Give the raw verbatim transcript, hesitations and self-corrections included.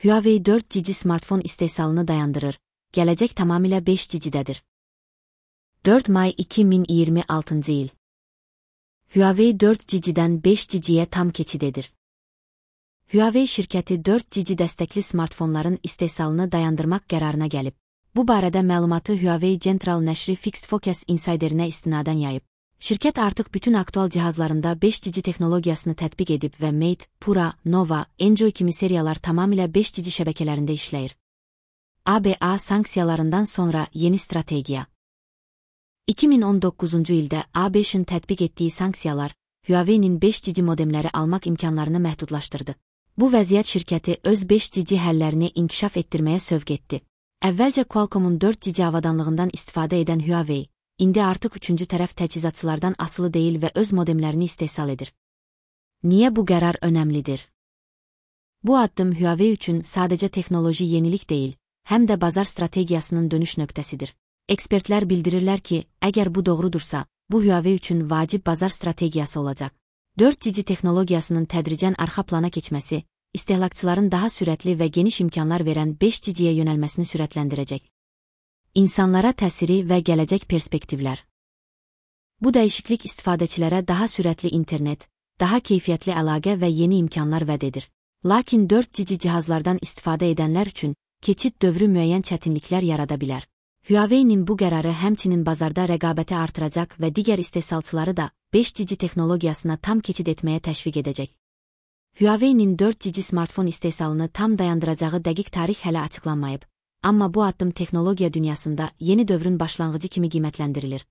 Huawei dört G smartfon istehsalını dayandırır. Gelecek tamamıyla beş G'dedir. dört May iki bin yirmi altıncı yıl. Huawei dört G'den beş G'ye tam keçidedir. Huawei şirkəti dört G dəstəkli smartfonların istehsalını dayandırmaq qərarına gəlib. Bu barədə məlumatı Huawei Central nəşri Fixed Focus Insider'inə istinadən yayıb. Şirkət artıq bütün aktual cihazlarında beş G texnologiyasını tətbiq edib və Mate, Pura, Nova, Enjoy kimi seriyalar tamamilə beş G şəbəkələrində işləyir. A B A sanksiyalarından sonra yeni strategiya. iki bin on doqquzuncu ildə A B Ş'ın tətbiq etdiyi sanksiyalar, Huawei'nin beş G modemləri almaq imkanlarını məhdudlaşdırdı. Bu vəziyyət şirkəti öz beş G həllərini inkişaf etdirməyə sövq etdi. Əvvəlcə Qualcomm'un dört G avadanlığından istifadə edən Huawei, indi artıq üçüncü tərəf təchizatçılardan asılı deyil və öz modemlərini istehsal edir. Niyə bu qərar önəmlidir? Bu addım Huawei üçün sadəcə texnoloji yenilik deyil, həm də bazar strategiyasının dönüş nöqtəsidir. Ekspertlər bildirirlər ki, əgər bu doğrudursa, bu Huawei üçün vacib bazar strategiyası olacaq. dört G texnologiyasının tədricən arxa plana keçməsi, istehlakçıların daha sürətli və geniş imkanlar verən beş G'yə yönəlməsini sürətləndirəcək. İnsanlara təsiri və gələcək perspektivlər. Bu dəyişiklik istifadəçilərə daha sürətli internet, daha keyfiyyətli əlaqə və yeni imkanlar vəd edir. Lakin dört G cihazlardan istifadə edənlər üçün keçid dövrü müəyyən çətinliklər yarada bilər. Huawei'nin bu qərarı həmçinin bazarda rəqabəti artıracaq və digər istehsalçıları da beş G texnologiyasına tam keçid etməyə təşviq edəcək. Huawei'nin dört G smartfon istehsalını tam dayandıracağı dəqiq tarix hələ açıqlanmayıb, amma bu addım texnologiya dünyasında yeni dövrün başlanğıcı kimi qiymətləndirilir.